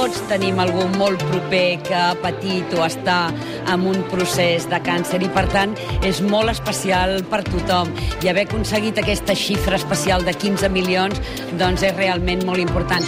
tots tenim algú molt proper que ha patit o està en un procés de càncer i, per tant, és molt especial per tothom. I haver aconseguit aquesta xifra especial de 15 milions doncs és realment molt important.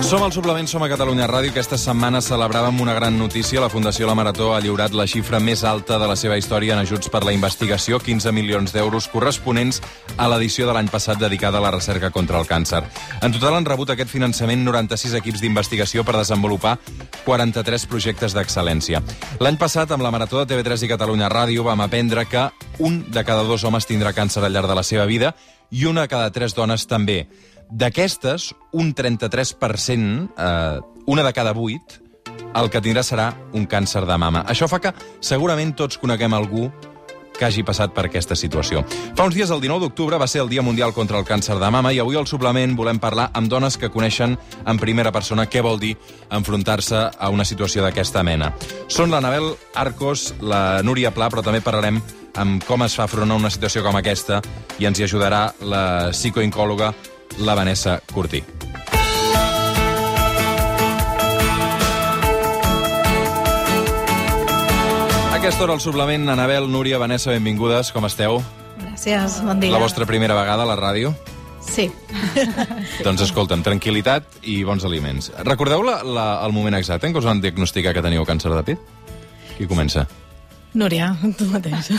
Som al Suplement, som a Catalunya Ràdio. Aquesta setmana celebràvem una gran notícia. La Fundació La Marató ha lliurat la xifra més alta de la seva història en ajuts per la investigació, 15 milions d'euros corresponents a l'edició de l'any passat dedicada a la recerca contra el càncer. En total han rebut aquest finançament 96 equips d'investigació per desenvolupar 43 projectes d'excel·lència. L'any passat, amb la Marató de TV3 i Catalunya Ràdio, vam aprendre que un de cada 2 homes tindrà càncer al llarg de la seva vida i una de cada 3 dones també. D'aquestes, un 33%, una de cada 8, el que tindrà serà un càncer de mama. Això fa que segurament tots coneguem algú que hagi passat per aquesta situació. Fa uns dies, el 19 d'octubre, va ser el Dia Mundial contra el Càncer de Mama i avui al Suplement volem parlar amb dones que coneixen en primera persona què vol dir enfrontar-se a una situació d'aquesta mena. Són l'Anabel Arcos, la Núria Pla, però també parlarem amb com es fa front a una situació com aquesta i ens hi ajudarà la psicooncòloga la Vanessa Curtí. A aquesta hora al Suplement, Anabel, Núria, Vanessa, benvingudes, com esteu? Gràcies, bon dia. La vostra primera vegada a la ràdio? Sí. Doncs escolta'm, tranquil·litat i bons aliments. Recordeu el moment exacte en què us van diagnosticar que teníeu càncer de pit? Qui comença? Núria, tu mateix.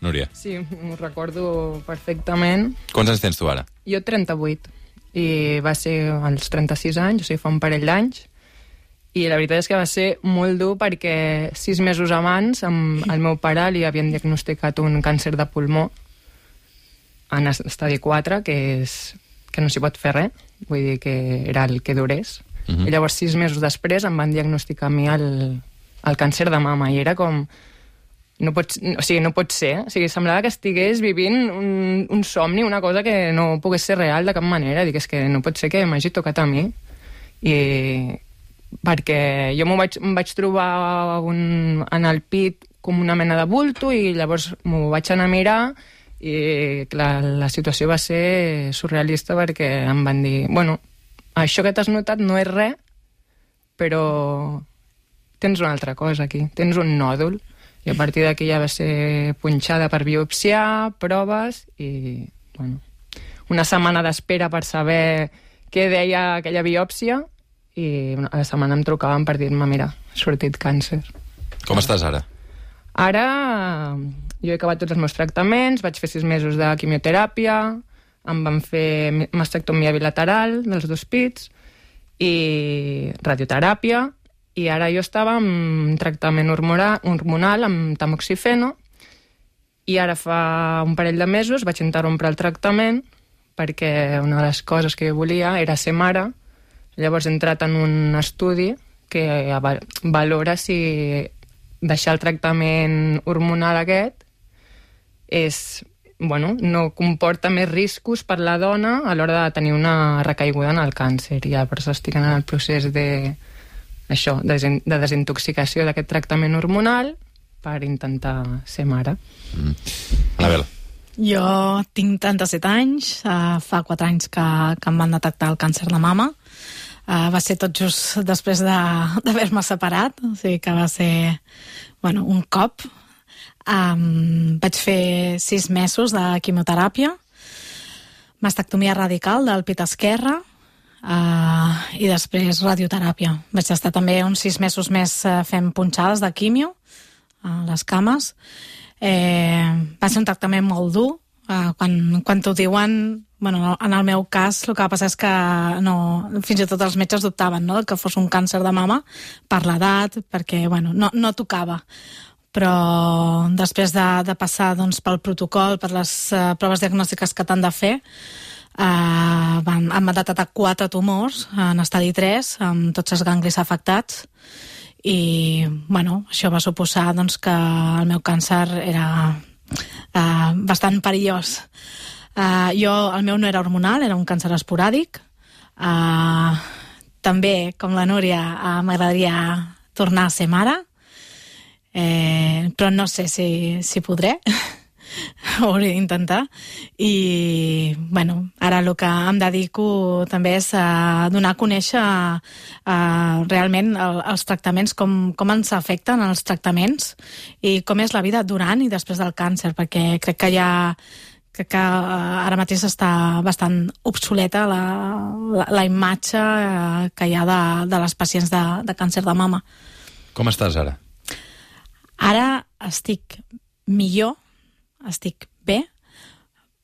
Núria. Sí, m'ho recordo perfectament. Quants anys tens tu ara? Jo 38, i va ser als 36 anys, o sigui, fa un parell d'anys, i la veritat és que va ser molt dur perquè 6 mesos abans al meu pare li havien diagnosticat un càncer de pulmó en estadi 4, que no s'hi pot fer res, vull dir que era el que durés. I llavors 6 mesos després em van diagnosticar a mi el càncer de mama, i era com... No pot ser. O sigui, semblava que estigués vivint un somni, una cosa que no pogués ser real de cap manera. Dic, és que no pot ser que m'hagi tocat a mi. I perquè jo em vaig trobar en el pit com una mena de bulto i llavors m'ho vaig anar a mirar i clar, la situació va ser surrealista perquè em van dir, bueno, això que t'has notat no és res, però tens una altra cosa aquí, tens un nòdul. I a partir d'aquí ja va ser punxada per biopsiar, proves i, bueno, una setmana d'espera per saber què deia aquella biòpsia i a la setmana em trucaven per dir-me, mira, ha sortit càncer. Com estàs ara? Ara jo he acabat tots els meus tractaments, vaig fer 6 mesos de quimioteràpia, em van fer mastectomia bilateral dels 2 pits i radioteràpia. I ara jo estava en tractament hormonal amb tamoxifeno i ara fa un parell de mesos vaig interrompre el tractament perquè una de les coses que jo volia era ser mare. Llavors he entrat en un estudi que valora si deixar el tractament hormonal aquest no comporta més riscos per la dona a l'hora de tenir una recaiguda en el càncer. I llavors estic en el procés de desintoxicació d'aquest tractament hormonal per intentar ser mare. Anabel. Jo tinc 37 anys, fa 4 anys que em van detectar el càncer de mama. Va ser tot just després d'haver-me separat, o sigui que va ser un cop. Vaig fer 6 mesos de quimioteràpia, mastectomia radical del pit esquerre, i després radioteràpia. Vaig estar també uns 6 mesos més fent punxades de quimio a les cames. Va ser un tractament molt dur. Quan t'ho diuen, en el meu cas el que va passar és que fins i tot els metges dubtaven que fos un càncer de mama per l'edat, perquè no tocava. Però després de passar pel protocol, per les proves diagnòstiques que t'han de fer, em van detectar 4 tumors en estadi 3 amb tots els ganglis afectats i això va suposar que el meu càncer era bastant perillós. El meu no era hormonal, era un càncer esporàdic. També, com la Núria, m'agradaria tornar a ser mare, però no sé si podré. ho hauré d'intentar. I, bueno, ara el que em dedico també és a donar a conèixer realment els tractaments, com ens afecten els tractaments i com és la vida durant i després del càncer, perquè crec que ara mateix està bastant obsoleta la imatge que hi ha de les pacients de càncer de mama. Com estàs ara? Ara estic millor, estic bé,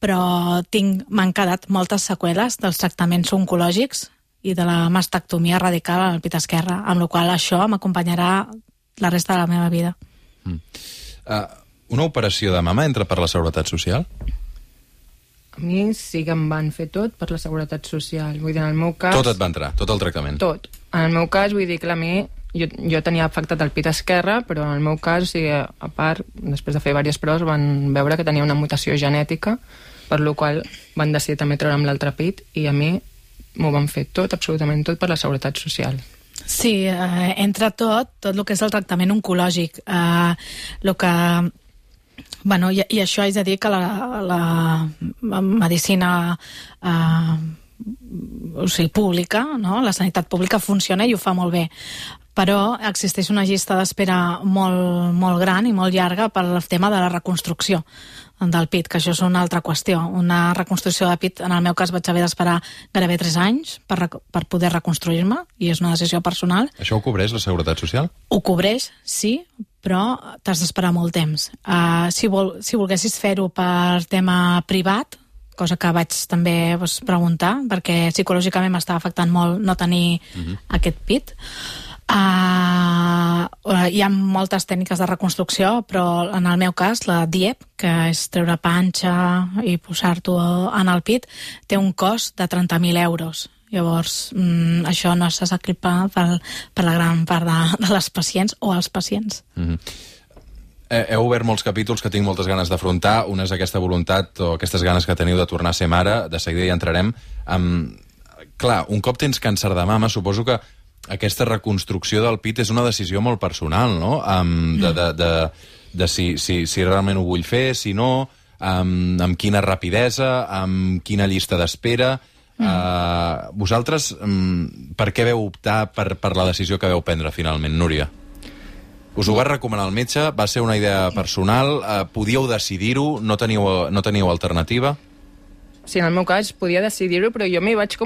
però m'han quedat moltes seqüeles dels tractaments oncològics i de la mastectomia radical al pit esquerre, amb la qual això m'acompanyarà la resta de la meva vida. Una operació de mama entra per la Seguretat Social? A mi sí que em van fer tot per la Seguretat Social. Vull dir, en el meu cas... Tot et va entrar, tot el tractament? Tot. En el meu cas, vull dir que a mi... Jo tenia afectat el pit esquerre, però en el meu cas, o sigui, a part, després de fer diverses proves, van veure que tenia una mutació genètica, per la qual van decidir també treure'm l'altre pit, i a mi m'ho van fer tot, absolutament tot, per la Seguretat Social. Sí, entra tot el que és el tractament oncològic. El que... Bueno, i això haig de dir que la medicina pública, no? La sanitat pública funciona i ho fa molt bé, però existeix una llista d'espera molt gran i molt llarga per al tema de la reconstrucció del pit, que això és una altra qüestió. Una reconstrucció de pit, en el meu cas vaig haver d'esperar gairebé 3 anys per poder reconstruir-me, i és una decisió personal. Això ho cobreix la Seguretat Social? Ho cobreix, sí, però t'has d'esperar molt temps. Si volguessis fer-ho per tema privat, cosa que vaig també preguntar, perquè psicològicament m'estava afectant molt no tenir aquest pit. Hi ha moltes tècniques de reconstrucció, però en el meu cas la DIEP, que és treure panxa i posar-t'ho en el pit, té un cost de 30.000 euros. Llavors, això no s'acclipa per la gran part de les pacients o els pacients. Heu obert molts capítols que tinc moltes ganes d'afrontar. Una és aquesta voluntat o aquestes ganes que teniu de tornar a ser mare. De seguida hi entrarem. Clar, un cop tens càncer de mama, suposo que aquesta reconstrucció del pit és una decisió molt personal, no? De si realment ho vull fer, si no, amb quina rapidesa, amb quina llista d'espera. Vosaltres, per què veu optar per la decisió que veu prendre finalment, Núria? Us ho va recomanar el metge? Va ser una idea personal? Podíeu decidir-ho? No teníeu alternativa? Sí, en el meu cas podia decidir-ho, però jo m'hi vaig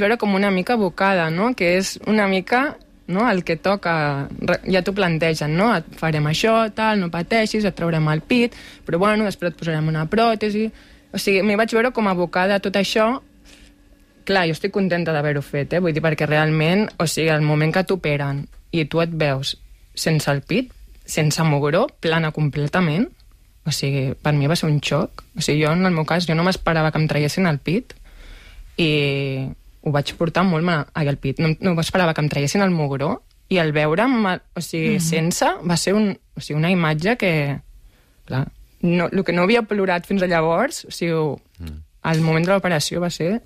veure com una mica abocada, no? Que és una mica, no, el que toca. Ja t'ho plantegen, no? Et farem això, tal, no pateixis, et traurem el pit, però bueno, després et posarem una pròtesi. O sigui, m'hi vaig veure com abocada a tot això. Clar, jo estic contenta d'haver-ho fet, vull dir, perquè realment, o sigui, el moment que t'operen i tu et veus sense el pit, sense mugró, plana completament, o sigui, per mi va ser un xoc. O sigui, jo, en el meu cas, jo no m'esperava que em traiessin el pit i ho vaig portar molt mal al pit. No m'esperava que em traiessin el mugró i el veure'm, o sigui, sense, va ser una imatge que, clar, el que no havia plorat fins a llavors, o sigui, al moment de l'operació va ser...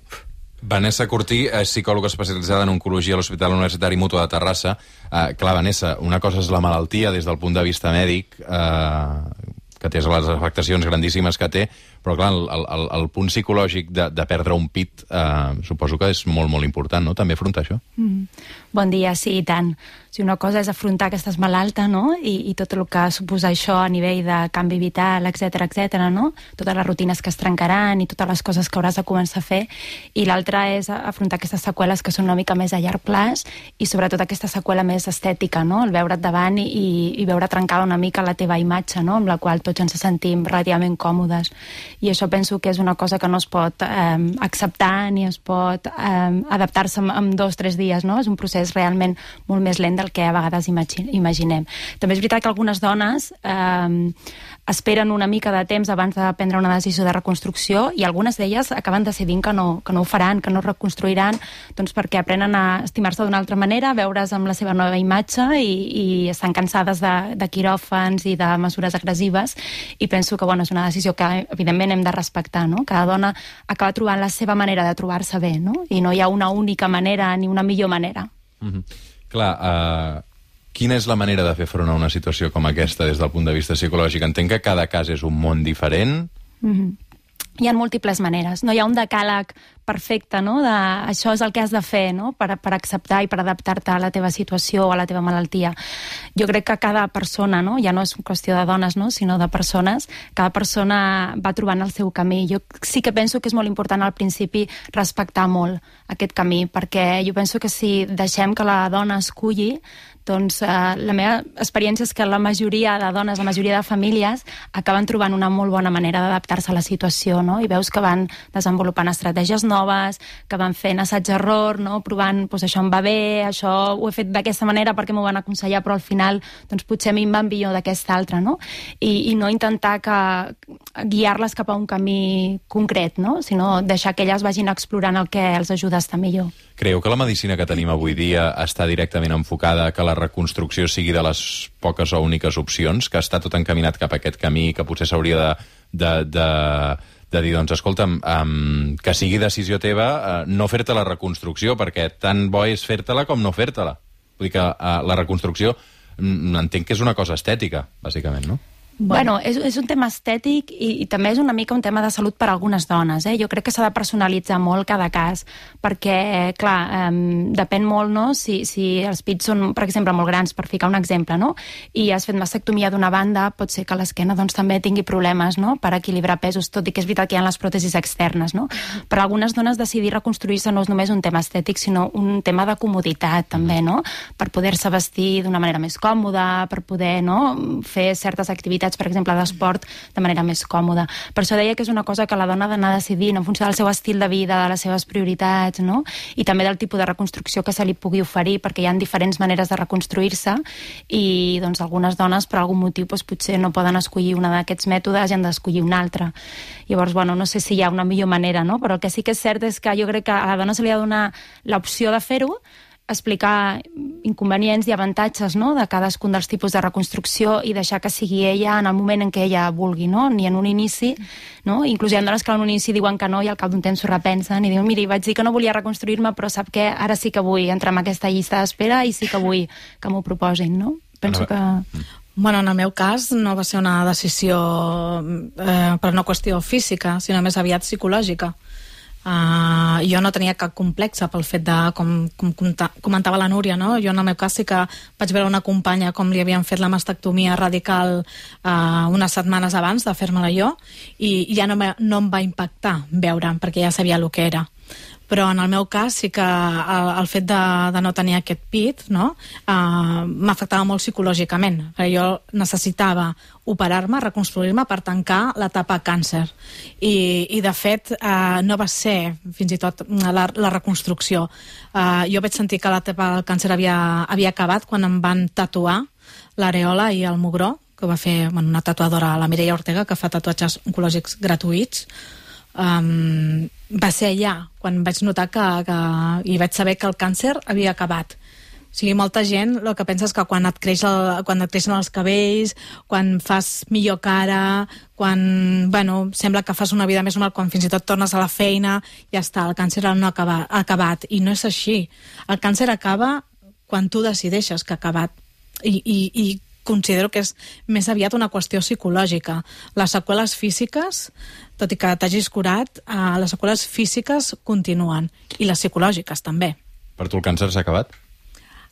Vanessa Cortí és psicòloga especialitzada en oncologia a l'Hospital Universitari Mútua de Terrassa. Clar, Vanessa, una cosa és la malaltia des del punt de vista mèdic, que té les afectacions grandíssimes que té, però clar, el punt psicològic de perdre un pit suposo que és molt, molt important, no?, també afrontar això. Bon dia, sí, i tant. O sigui, una cosa és afrontar que estàs malalta, no?, i tot el que suposa això a nivell de canvi vital, etc, no?, totes les rutines que es trencaran i totes les coses que hauràs de començar a fer, i l'altra és afrontar aquestes seqüeles que són una mica més a llarg plaç i sobretot aquesta seqüela més estètica, no?, el veure't davant i veure trencada una mica la teva imatge, no?, amb la qual tots ens sentim relativament còmodes. I això penso que és una cosa que no es pot acceptar ni es pot adaptar-se en 2 o 3 dies, no? És un procés realment molt més lent del que a vegades imaginem. També és veritat que algunes dones esperen una mica de temps abans de prendre una decisió de reconstrucció i algunes d'elles acaben decidint que no ho faran, que no reconstruiran, doncs perquè aprenen a estimar-se d'una altra manera, a veure's amb la seva nova imatge i estan cansades de quiròfans i de mesures agressives, i penso que és una decisió que evidentment hem de respectar, no? Cada dona acaba trobant la seva manera de trobar-se bé, no? I no hi ha una única manera ni una millor manera. Clar, Quina és la manera de fer front a una situació com aquesta des del punt de vista psicològic? Entenc que cada cas és un món diferent. Hi ha múltiples maneres. No hi ha un decàleg perfecte, no? Això és el que has de fer, no? Per acceptar i per adaptar-te a la teva situació o a la teva malaltia. Jo crec que cada persona, no? Ja no és qüestió de dones, no? Sinó de persones, cada persona va trobant el seu camí. Jo sí que penso que és molt important al principi respectar molt aquest camí, perquè jo penso que si deixem que la dona esculli, doncs la meva experiència és que la majoria de dones, la majoria de famílies acaben trobant una molt bona manera d'adaptar-se a la situació, no? I veus que van desenvolupant estratègies noves, que van fent assaig-error, no? Provant, doncs això em va bé, això ho he fet d'aquesta manera perquè m'ho van aconsellar, però al final doncs potser a mi em va millor d'aquesta altra, no? I no intentar guiar-les cap a un camí concret, no? Sinó deixar que elles vagin explorant el que els ajuda a estar millor. Creieu que la medicina que tenim avui dia està directament enfocada a que la reconstrucció sigui de les poques o úniques opcions, que està tot encaminat cap a aquest camí, que potser s'hauria de dir, doncs, escolta'm, que sigui decisió teva no fer-te la reconstrucció, perquè tan bo és fer-te-la com no fer-te-la. Vull dir que la reconstrucció entenc que és una cosa estètica, bàsicament, no? Bueno, és un tema estètic i també és una mica un tema de salut per a algunes dones. Jo crec que s'ha de personalitzar molt cada cas, perquè, clar, depèn molt, no?, si els pits són, per exemple, molt grans, per ficar un exemple, no?, i has fet mastectomia d'una banda, pot ser que l'esquena doncs, també tingui problemes, no?, per equilibrar pesos, tot i que és veritat que hi ha les pròtesis externes, no? Per a algunes dones decidir reconstruir-se no és només un tema estètic, sinó un tema de comoditat, també, no?, per poder-se vestir d'una manera més còmoda, per poder, no?, fer certes activitats, per exemple, d'esport, de manera més còmoda. Per això deia que és una cosa que la dona ha d'anar decidint en funció del seu estil de vida, de les seves prioritats, no? I també del tipus de reconstrucció que se li pugui oferir, perquè hi ha diferents maneres de reconstruir-se i doncs, algunes dones, per algun motiu, doncs, potser no poden escollir una d'aquests mètodes i han d'escollir una altra. Llavors, bueno, no sé si hi ha una millor manera, no? Però el que sí que és cert és que jo crec que a la dona se li ha de donar l'opció de fer-ho, explicar inconvenients i avantatges, no?, de cadascun dels tipus de reconstrucció i deixar que sigui ella en el moment en què ella vulgui, no? Ni en un inici, no? Inclús hi ha dones que en un inici diuen que no i al cap d'un temps s'ho repensen i diuen, miri, vaig dir que no volia reconstruir-me, però sap què? Ara sí que vull entrar en aquesta llista d'espera i sí que vull que m'ho proposin, no? Penso que... Bueno, en el meu cas no va ser una decisió per una qüestió física, sinó més aviat psicològica. Jo no tenia cap complexa pel fet de, com comentava la Núria, no? Jo en el meu cas sí que vaig veure una companya com li havien fet la mastectomia radical unes setmanes abans de fer-me-la jo i ja no em va impactar veure'm perquè ja sabia el que era. Però en el meu cas sí que el fet de no tenir aquest pit, no, m'afectava molt psicològicament, perquè jo necessitava operar-me, reconstruir-me per tancar l'etapa càncer. I de fet no va ser fins i tot la reconstrucció. Jo vaig sentir que l'etapa del càncer havia acabat quan em van tatuar l'areola i el mugró, que va fer una tatuadora, la Mireia Ortega, que fa tatuatges oncològics gratuïts. Va ser allà quan vaig notar i vaig saber que el càncer havia acabat. O sigui, molta gent el que pensa és que quan et creixen els cabells, quan fas millor cara, quan sembla que fas una vida més normal, quan fins i tot tornes a la feina, ja està, el càncer no ha acabat. I no és així. El càncer acaba quan tu decideixes que ha acabat. I considero que és més aviat una qüestió psicològica. Les seqüeles físiques, tot i que t'hagis curat, les seqüeles físiques continuen, i les psicològiques també. Per tu el càncer s'ha acabat?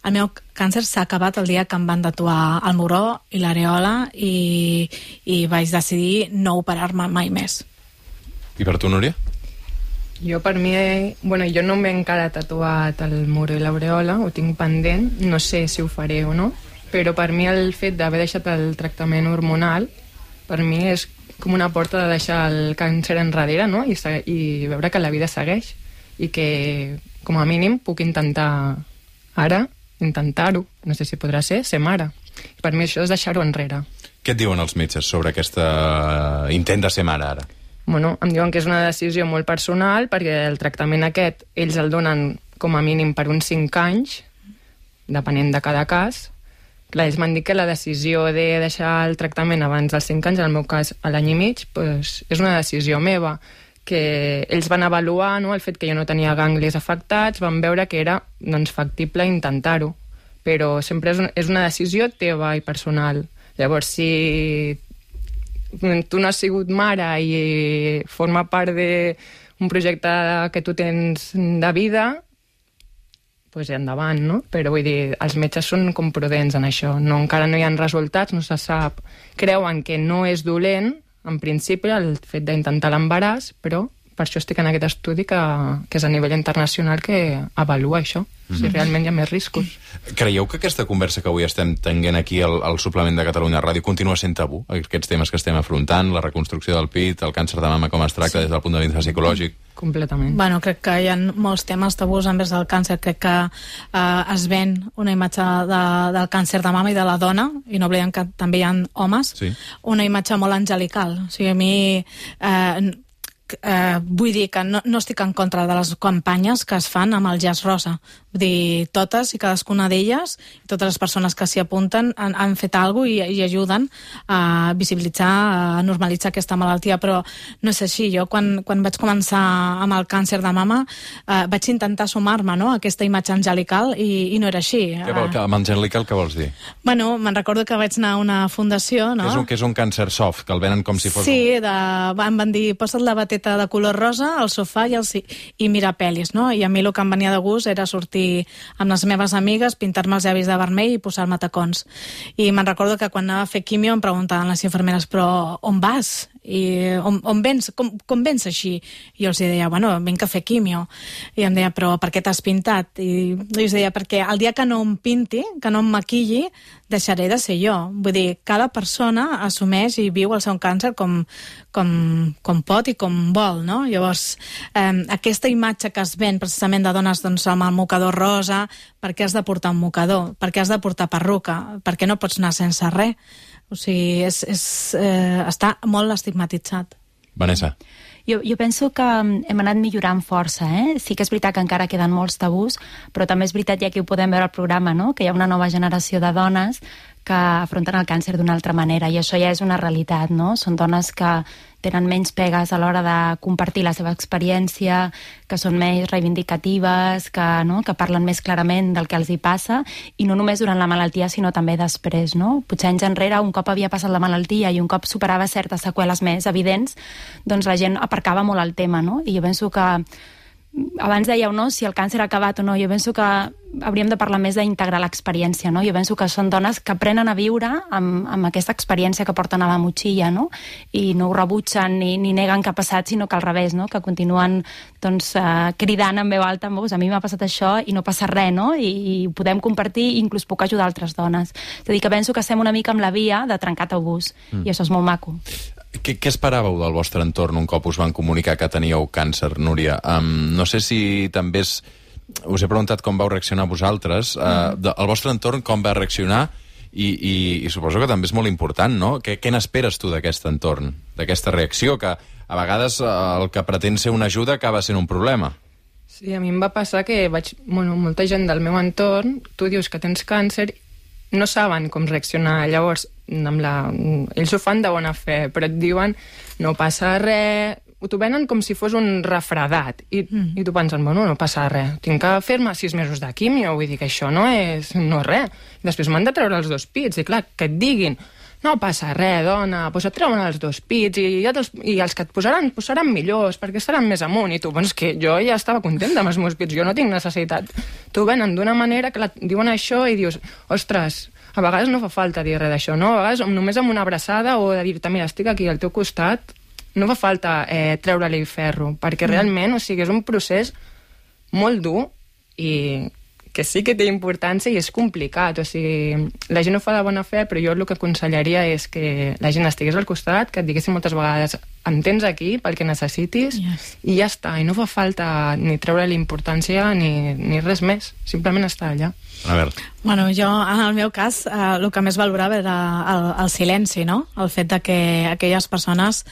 El meu càncer s'ha acabat el dia que em van tatuar el mugró i l'areola i vaig decidir no operar-me mai més. I per tu, Núria? Jo, per mi, jo no m'he encara tatuat el mugró i l'areola, ho tinc pendent, no sé si ho faré o no, però per mi el fet d'haver deixat el tractament hormonal, per mi és com una porta de deixar el càncer enrere, no? I veure que la vida segueix i que, com a mínim, puc intentar ara, intentar-ho, no sé si podrà ser mare. I per mi això és deixar-ho enrere. Què et diuen els metges sobre aquest intent de ser mare ara? Bueno, em diuen que és una decisió molt personal perquè el tractament aquest ells el donen com a mínim per uns 5 anys, depenent de cada cas. Clar, ells m'han dit que la decisió de deixar el tractament abans dels 5 anys, en el meu cas a l'any i mig, és una decisió meva, que ells van avaluar, no, el fet que jo no tenia ganglis afectats, van veure que era factible intentar-ho, però sempre és una decisió teva i personal. Llavors, si tu no has sigut mare i forma part d'un projecte que tu tens de vida, doncs endavant, no? Però vull dir, els metges són com prudents en això. Encara no hi ha resultats, no se sap. Creuen que no és dolent, en principi, el fet d'intentar l'embaràs, però per això estic en aquest estudi que és a nivell internacional que avalua això, si realment hi ha més riscos. Creieu que aquesta conversa que avui estem tenint aquí al suplement de Catalunya Ràdio continua sent tabú? Aquests temes que estem afrontant, la reconstrucció del pit, el càncer de mama, com es tracta des del punt de vista psicològic? Completament. Bueno, crec que hi ha molts temes tabús envers el càncer. Crec que es ven una imatge del càncer de mama i de la dona, i no oblidem que també hi ha homes, una imatge molt angelical. O sigui, a mi... vull dir que no estic en contra de les campanyes que es fan amb el llaç rosa. Vull dir, totes i cadascuna d'elles, totes les persones que s'hi apunten han fet alguna cosa i ajuden a visibilitzar, a normalitzar aquesta malaltia, però no és així. Jo quan vaig començar amb el càncer de mama vaig intentar sumar-me, no?, a aquesta imatge angelical i no era així. Amb angelical què vols dir? Bueno, me'n recordo que vaig anar a una fundació, no? Que és un càncer soft, que el venen com si fos... Sí, em van dir, posa't la bateta de color rosa al sofà i mirar pel·lis, no? I a mi el que em venia de gust era sortir amb les meves amigues, pintar-me els llavis de vermell i posar-me tacons. I me'n recordo que quan anava a fer quimio em preguntaven les infermeres, però on vas? I on vens? Com vens així? I jo els deia, bueno, vinc a fer quimio. I em deia, però per què t'has pintat? I els deia, perquè el dia que no em pinti, que no em maquilli, deixaré de ser jo. Vull dir, cada persona assumeix i viu el seu càncer com pot i com vol, no? Llavors, aquesta imatge que es ven precisament de dones amb el mocador rosa, per què has de portar un mocador? Per què has de portar perruca? Per què no pots anar sense res? O sigui, està molt estigmatitzat. Vanessa. Jo penso que hem anat millorant força, Sí que és veritat que encara queden molts tabús, però també és veritat, ja que ho podem veure al programa, no?, que hi ha una nova generació de dones que afronten el càncer d'una altra manera, i això ja és una realitat, no? Són dones que tenen menys pegues a l'hora de compartir la seva experiència, que són més reivindicatives, que parlen més clarament del que els hi passa, i no només durant la malaltia, sinó també després, no? Potser anys enrere, un cop havia passat la malaltia i un cop superava certes seqüeles més evidents, doncs la gent aparcava molt el tema, no? I jo penso que abans dèieu, no?, si el càncer ha acabat o no. Jo penso que hauríem de parlar més d'integrar l'experiència, no? Jo penso que són dones que aprenen a viure amb aquesta experiència que porten a la motxilla, no? I no ho rebutgen ni neguen que ha passat, sinó que al revés, no?, que continuen cridant en veu alta, a mi m'ha passat això i no passa res, no? I ho podem compartir i inclús puc ajudar altres dones. És a dir, que penso que estem una mica amb la via de trencar tabús, i això és molt maco. Què esperàveu del vostre entorn un cop us van comunicar que teníeu càncer, Núria? No sé si també us he preguntat com vau reaccionar vosaltres. El vostre entorn com va reaccionar? I suposo que també és molt important, no? Què n'esperes tu d'aquest entorn, d'aquesta reacció, que a vegades el que pretén ser una ajuda acaba sent un problema? Sí, a mi em va passar que molta gent del meu entorn, tu dius que tens càncer, no saben com reaccionar. Llavors, ells ho fan de bona fe, però et diuen no passa res, t'ho venen com si fos un refredat, i tu penses, bueno, no passa res, tinc que fer-me 6 mesos de quimio, vull dir que això no és res. Després m'han de treure els 2 pits, i clar, que et diguin no passa res, dona, doncs et treuen els 2 pits i els que et posaran seran millors perquè estaran més amunt, i tu, doncs que jo ja estava contenta amb els meus pits, jo no tinc necessitat. T'ho venen d'una manera que diuen això i dius, ostres, a vegades no fa falta dir res d'això, no? A vegades només amb una abraçada o de dir-te, mira, estic aquí al teu costat, no fa falta treure-li ferro, perquè realment, o sigui, és un procés molt dur i que sí que té importància i és complicat, o sigui, la gent ho fa de bona fe, però jo el que aconsellaria és que la gent estigués al costat, que et diguessin moltes vegades em tens aquí pel que necessitis, i ja està, i no fa falta ni treure-li importància ni res més, simplement estar allà. A veure. Bueno, jo, en el meu cas, el que més valorava era el silenci, no? El fet de que aquelles persones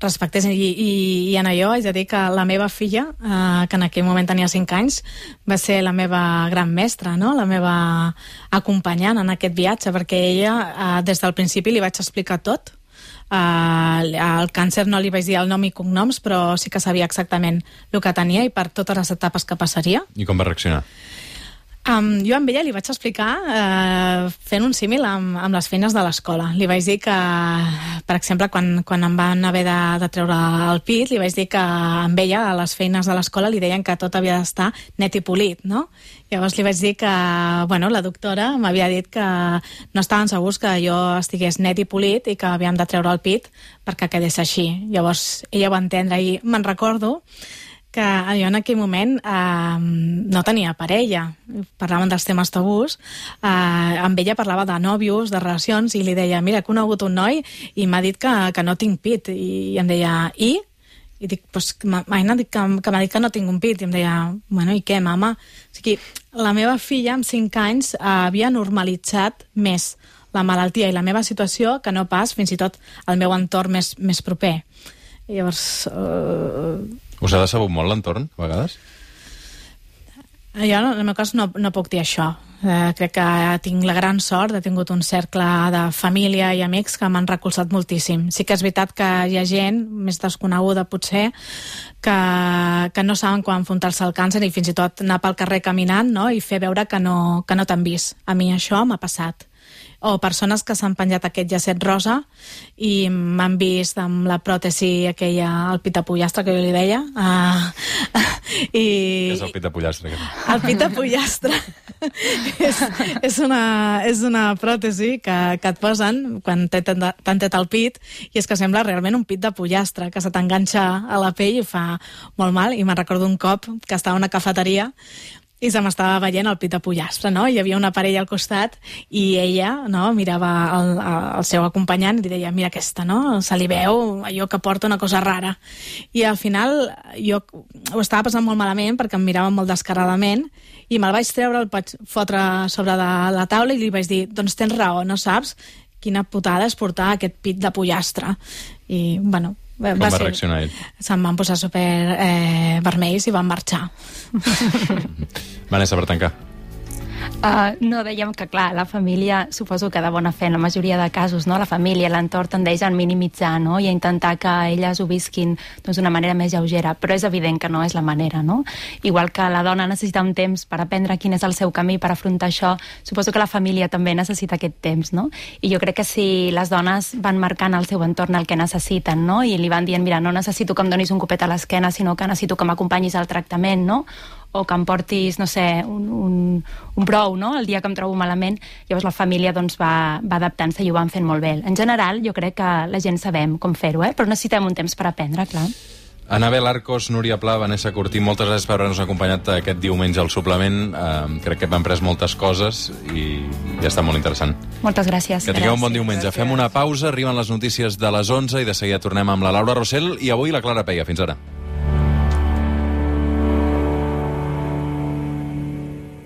respectessin, i en allò haig de dir que la meva filla, que en aquell moment tenia 5 anys, va ser la meva gran mestra, no? La meva acompanyant en aquest viatge, perquè ella, des del principi li vaig explicar tot. El càncer no li vaig dir el nom i cognoms, però sí que sabia exactament el que tenia i per totes les etapes que passaria. I com va reaccionar? Jo amb ella li vaig explicar fent un símil amb les feines de l'escola. Li vaig dir que, per exemple, quan em van haver de treure el pit, li vaig dir que amb ella a les feines de l'escola li deien que tot havia d'estar net i polit, no? Llavors li vaig dir que, la doctora m'havia dit que no estaven segurs que jo estigués net i polit i que havíem de treure el pit perquè quedés així. Llavors ella ho va entendre i me'n recordo que jo en aquell moment no tenia parella. Parlàvem dels temes tabús. Amb ella parlava de nòvios, de relacions, i li deia, mira, he conegut un noi i m'ha dit que no tinc pit. I em deia, i? I dic, pues, m'ha dit que m'ha dit que no tinc un pit. I em deia, bueno, i què, mama? O sigui, la meva filla, amb 5 anys, havia normalitzat més la malaltia i la meva situació que no pas, fins i tot, el meu entorn més proper. I llavors... Us ha decebut molt l'entorn, a vegades? Jo, en el meu cas, no puc dir això. Crec que tinc la gran sort, he tingut un cercle de família i amics que m'han recolzat moltíssim. Sí que és veritat que hi ha gent, més desconeguda potser, que no saben quan enfrontar-se al càncer i fins i tot anar pel carrer caminant, no?, i fer veure que no t'han vist. A mi això m'ha passat. O persones que s'han penjat aquest llacet rosa i m'han vist amb la pròtesi aquella, el pit de pollastre, que jo li deia. Què és el pit de pollastre? El pit de pollastre és una pròtesi que et posen quan t'han tret el pit, i és que sembla realment un pit de pollastre, que se t'enganxa a la pell i fa molt mal. I me'n recordo un cop que estava a una cafeteria i se m'estava veient el pit de pollastre, no? Hi havia una parella al costat i ella, no?, mirava el seu acompanyant i li deia, mira aquesta, no?, se li veu allò que porta una cosa rara. I al final jo ho estava passant molt malament perquè em mirava molt descaradament i me'l vaig treure, el vaig fotre sobre de la taula i li vaig dir, doncs tens raó, no saps quina putada és portar aquest pit de pollastre. I, bueno... Com va reaccionar ell? Se'm van posar super vermells i van marxar. Vanessa, per tancar. No, dèiem que, clar, la família, suposo que de bona fe, en la majoria de casos, no? La família, l'entorn tendeix a minimitzar, no?, i a intentar que elles ho visquin d'una manera més lleugera, però és evident que no és la manera, no? Igual que la dona necessita un temps per aprendre quin és el seu camí per afrontar això, suposo que la família també necessita aquest temps, no? I jo crec que si les dones van marcant al seu entorn el que necessiten, no?, i li van dient, mira, no necessito que em donis un copet a l'esquena, sinó que necessito que m'acompanyis al tractament, no?, o que em portis, no sé, un prou, no?, el dia que em trobo malament. Llavors la família doncs, va adaptant-se i ho van fent molt bé. En general, jo crec que la gent sabem com fer-ho, però necessitem un temps per aprendre, clar. Anabel Arcos, Núria Pla, Vanessa Cortí, moltes gràcies per haver-nos acompanyat aquest diumenge al suplement. Crec que hem après moltes coses i ja està molt interessant. Moltes gràcies. Que tingueu un bon diumenge. Gràcies. Fem una pausa, arriben les notícies de les 11 i de seguida tornem amb la Laura Rossell i avui la Clara Peia. Fins ara.